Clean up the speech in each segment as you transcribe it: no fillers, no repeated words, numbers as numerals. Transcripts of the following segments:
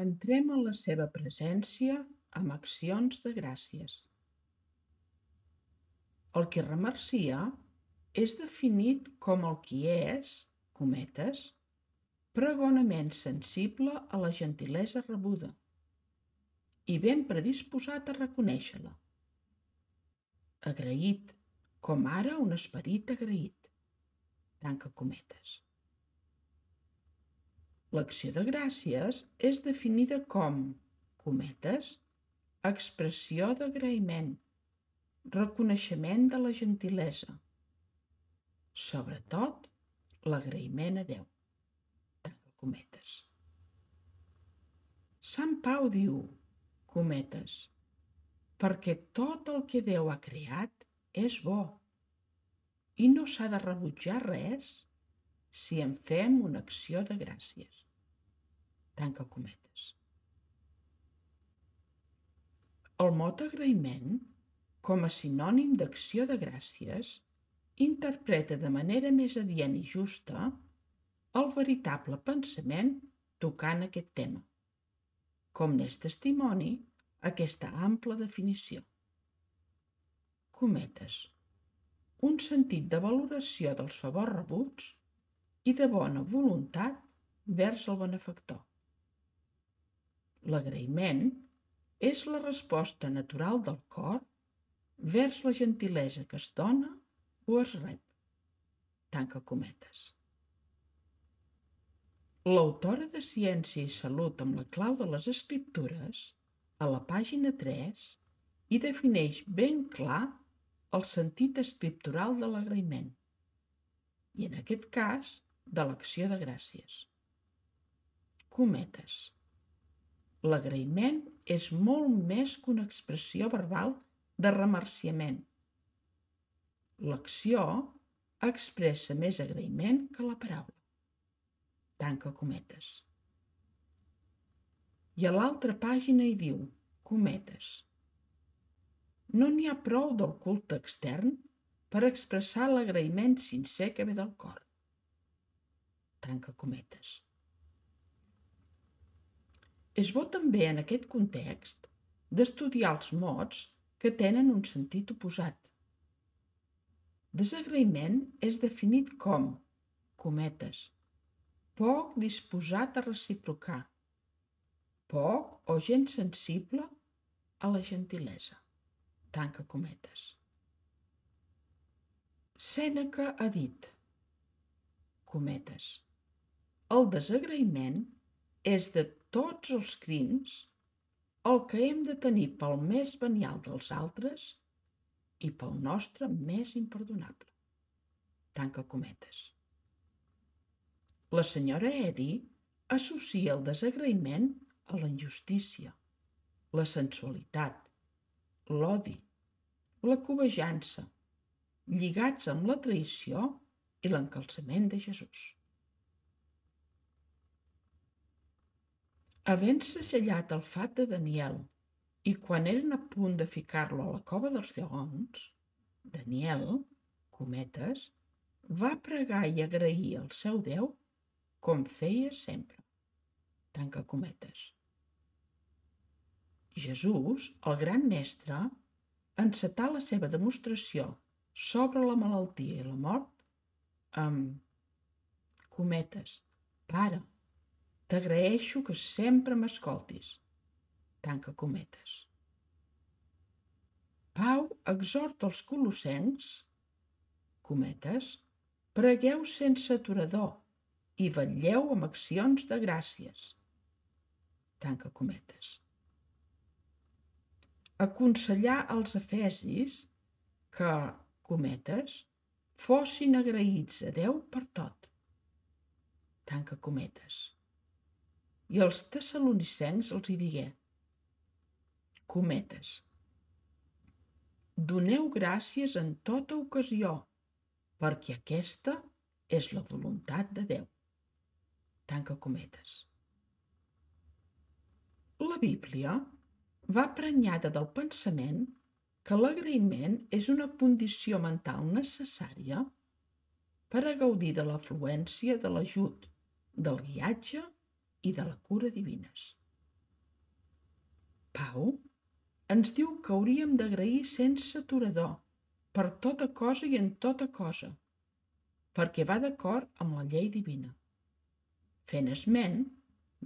Entrem en la seva presència amb accions de gràcies. El qui remercia és definit com el qui és, pregonament sensible a la gentilesa rebuda i ben predisposat a reconèixer-la. Agraït, com ara un esperit agraït. Tanca cometes. L'acció de gràcies és definida com, expressió d'agraïment, reconeixement de la gentilesa, sobretot l'agraïment a Déu. Tanca cometes. Sant Pau diu, perquè tot el que Déu ha creat és bo i no s'ha de rebutjar res si en fem una acció de gràcies. Tanca cometes. El mot agraïment, com a sinònim d'acció de gràcies, interpreta de manera més adient i justa el veritable pensament tocant aquest tema, com n'és testimoni aquesta ampla definició. Un sentit de valoració dels favors rebuts i de bona voluntat vers el benefactor. L'agraïment és la resposta natural del cor vers la gentilesa que es dona o es rep. Tanca cometes. L'autora de Ciència i Salut amb la clau de les Escriptures, a la pàgina 3, hi defineix ben clar el sentit escriptural de l'agraïment i, en aquest cas, de l'acció de gràcies. L'agraïment és molt més que una expressió verbal de remerciament. L'acció expressa més agraïment que la paraula. Tanca cometes. I a l'altra pàgina hi diu, no n'hi ha prou del culte extern per expressar l'agraïment sincer que ve del cor. Tanca cometes. És bo també en aquest context d'estudiar els mots que tenen un sentit oposat. Desagraïment és definit com, poc disposat a reciprocar, poc o gens sensible a la gentilesa. Tanca cometes. Sèneca ha dit, el desagraïment és de tots els crims el que hem de tenir pel més venial dels altres i pel nostre més imperdonable. Tanca cometes. La senyora Eddy associa el desagraïment a la injustícia, la sensualitat, l'odi, la cobejança, lligats amb la traïció i l'encalçament de Jesús. Havent segellat el fat de Daniel i quan eren a punt de ficar-lo a la cova dels lleons, Daniel, va pregar i agrair al seu Déu com feia sempre. Tanca cometes. Jesús, el gran mestre, encetà la seva demostració sobre la malaltia i la mort amb Pare, t'agraeixo que sempre m'escoltis. Tanca cometes. Pau exhorta els colossencs, pregueu sense aturador i vetlleu amb accions de gràcies. Tanca cometes. Aconsellar als efesis que, fossin agraïts a Déu per tot. Tanca cometes. I als tessalonicencs els hi digué, doneu gràcies en tota ocasió, perquè aquesta és la voluntat de Déu. Tanca cometes. La Bíblia va prenyada del pensament que l'agraïment és una condició mental necessària per a gaudir de l'afluència de l'ajut, del guiatge i de la cura divines. Pau ens diu que hauríem d'agrair sense aturador, per tota cosa i en tota cosa, perquè va d'acord amb la llei divina, fent esment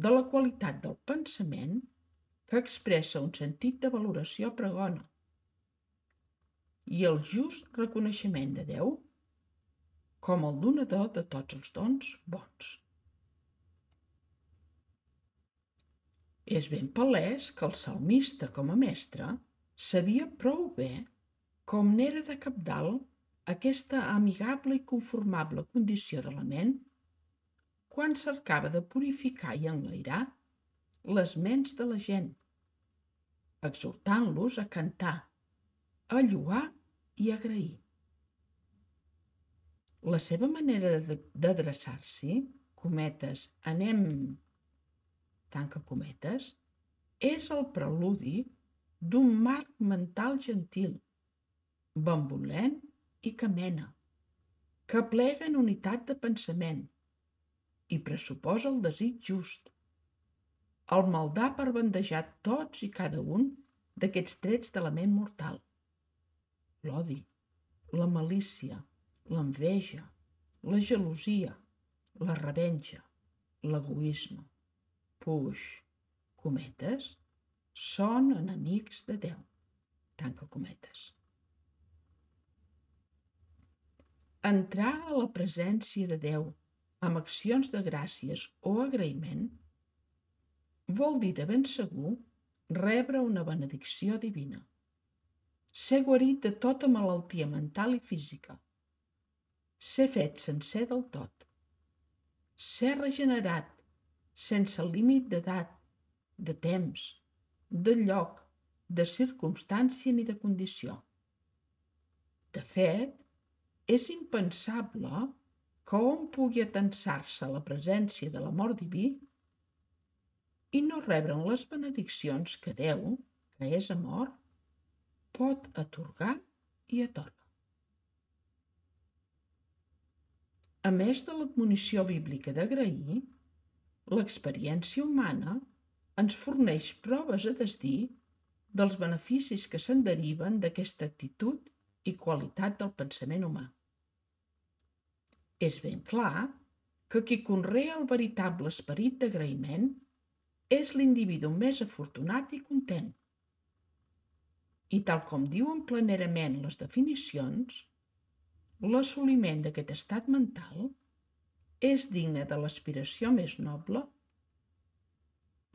de la qualitat del pensament que expressa un sentit de valoració pregona i el just reconeixement de Déu com el donador de tots els dons bons. És ben palès que el salmista, com a mestre, sabia prou bé com n'era de cabdal aquesta amigable i conformable condició de la ment quan cercava de purificar i enlairar les ments de la gent, exhortant-los a cantar, a lloar i a agrair. La seva manera d'adreçar-s'hi, cometes, anem, tanca cometes, és el preludi d'un marc mental gentil, benevolent i que mena, que aplega en unitat de pensament i pressuposa el desig just, el maldar per bandejar tots i cada un d'aquests trets de la ment mortal: l'odi, la malícia, l'enveja, la gelosia, la revenja, l'egoisme, puix, cometes, són enemics de Déu, tanca cometes. Entrar a la presència de Déu amb accions de gràcies o agraïment vol dir de ben segur rebre una benedicció divina, ser guarit de tota malaltia mental i física, ser fet sencer del tot, ser regenerat sense límit d'edat, de temps, de lloc, de circumstància ni de condició. De fet, és impensable que hom pugui atensar-se a la presència de l'amor diví i no rebre'n les benediccions que Déu, que és amor, pot atorgar i atorga. A més de l'admonició bíblica d'agrair, l'experiència humana ens forneix proves a desdir dels beneficis que se'n deriven d'aquesta actitud i qualitat del pensament humà. És ben clar que qui conrea el veritable esperit d'agraïment és l'individu més afortunat i content. I tal com diuen planerament les definicions, l'assoliment d'aquest estat mental és digne de l'aspiració més noble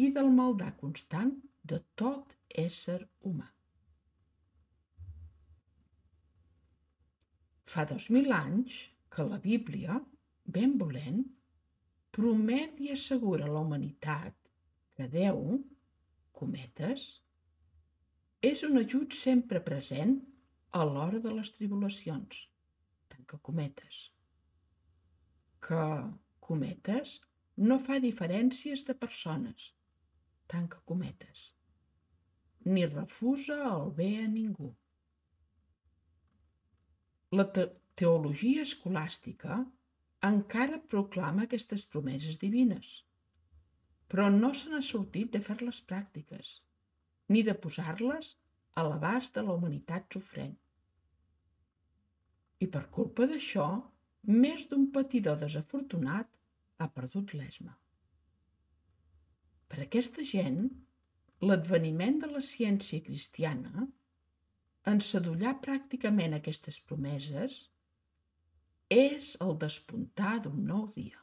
i del maldar constant de tot ésser humà. Fa 2000 anys que la Bíblia, ben volent, promet i assegura a la humanitat que Déu, cometes, és un ajut sempre present a l'hora de les tribulacions, tanca cometes, que, cometes, no fa diferències de persones, tanca cometes, ni refusa el bé a ningú. La teologia escolàstica encara proclama aquestes promeses divines, però no se n'ha sortit de fer-les pràctiques, ni de posar-les a l'abast de la humanitat sofrent. I per culpa d'això, més d'un patidor desafortunat ha perdut l'esma. Per aquesta gent, l'adveniment de la ciència cristiana, en sadollar pràcticament aquestes promeses, és el despuntar d'un nou dia.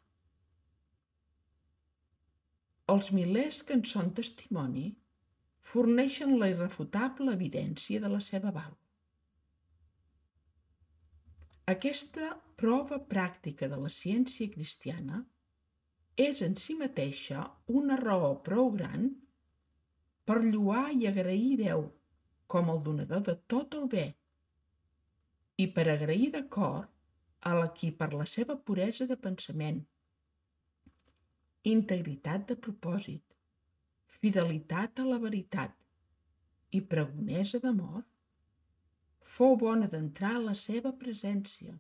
Els milers que en són testimoni forneixen la irrefutable evidència de la seva vàlua. Aquesta prova pràctica de la ciència cristiana és en si mateixa una raó prou gran per lloar i agrair Déu com el donador de tot el bé i per agrair de cor a qui per la seva puresa de pensament, integritat de propòsit, fidelitat a la veritat i pregonesa d'amor, fou bona d'entrar a la seva presència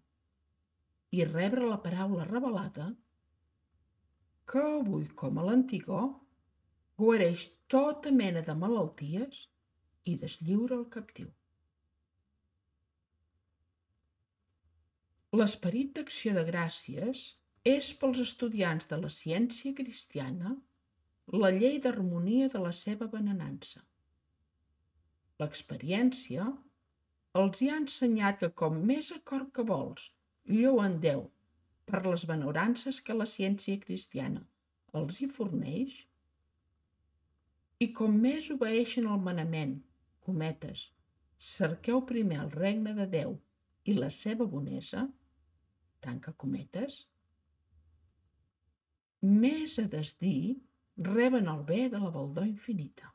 i rebre la paraula revelada que avui com a l'antigor guareix tota mena de malalties i deslliura el captiu. L'esperit d'acció de gràcies és pels estudiants de la ciència cristiana la llei d'harmonia de la seva benenança. L'experiència els hi ha ensenyat que com més acord que vols lloen Déu per les benaurances que la ciència cristiana els hi forneix, i com més obeeixen el manament, cometes, cerqueu primer el regne de Déu i la seva bonesa, tanca cometes, més a desdir reben el bé de la baldor infinita.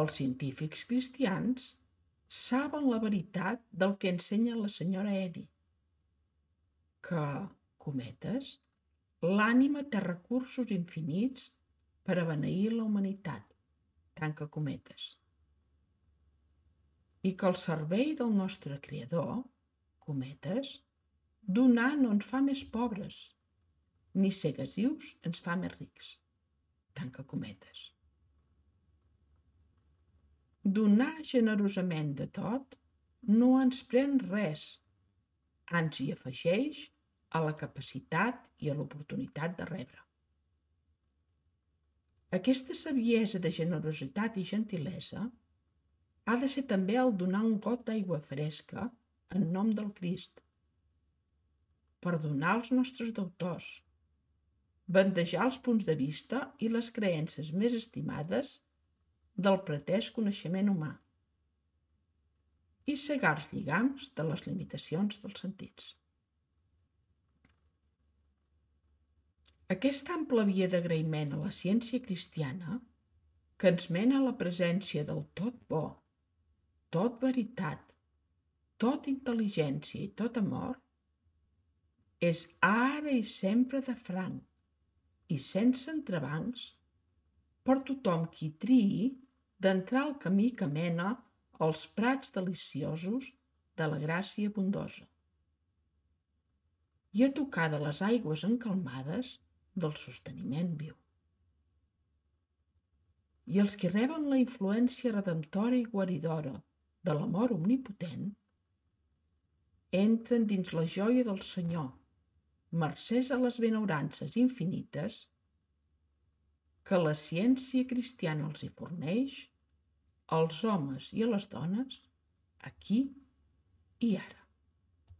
Els científics cristians saben la veritat del que ensenya la senyora Eddy, que, cometes, l'ànima té recursos infinits per a beneir la humanitat, tanca cometes, i que al servei del nostre Creador, cometes, donar no ens fa més pobres, ni ser gasius ens fa més rics, tanca cometes. Donar generosament de tot no ens pren res, ans hi afegeix a la capacitat i a l'oportunitat de rebre. Aquesta saviesa de generositat i gentilesa ha de ser també el donar un got d'aigua fresca en nom del Crist, perdonar els nostres deutors, bandejar els punts de vista i les creences més estimades del pretès coneixement humà i cegar els lligams de les limitacions dels sentits. Aquesta ampla via d'agraïment a la ciència cristiana, que ens mena a la presència del tot bo, tot veritat, tot intel·ligència i tot amor, és ara i sempre de franc i sense entrebancs per tothom qui triï d'entrar al camí que mena als prats deliciosos de la gràcia bondosa i a tocar de les aigües encalmades del sosteniment viu. I els que reben la influència redemptora i guaridora de l'amor omnipotent entren dins la joia del Senyor, mercès a les benaurances infinites que la ciència cristiana els hi forneix, als homes i a les dones, aquí i ara.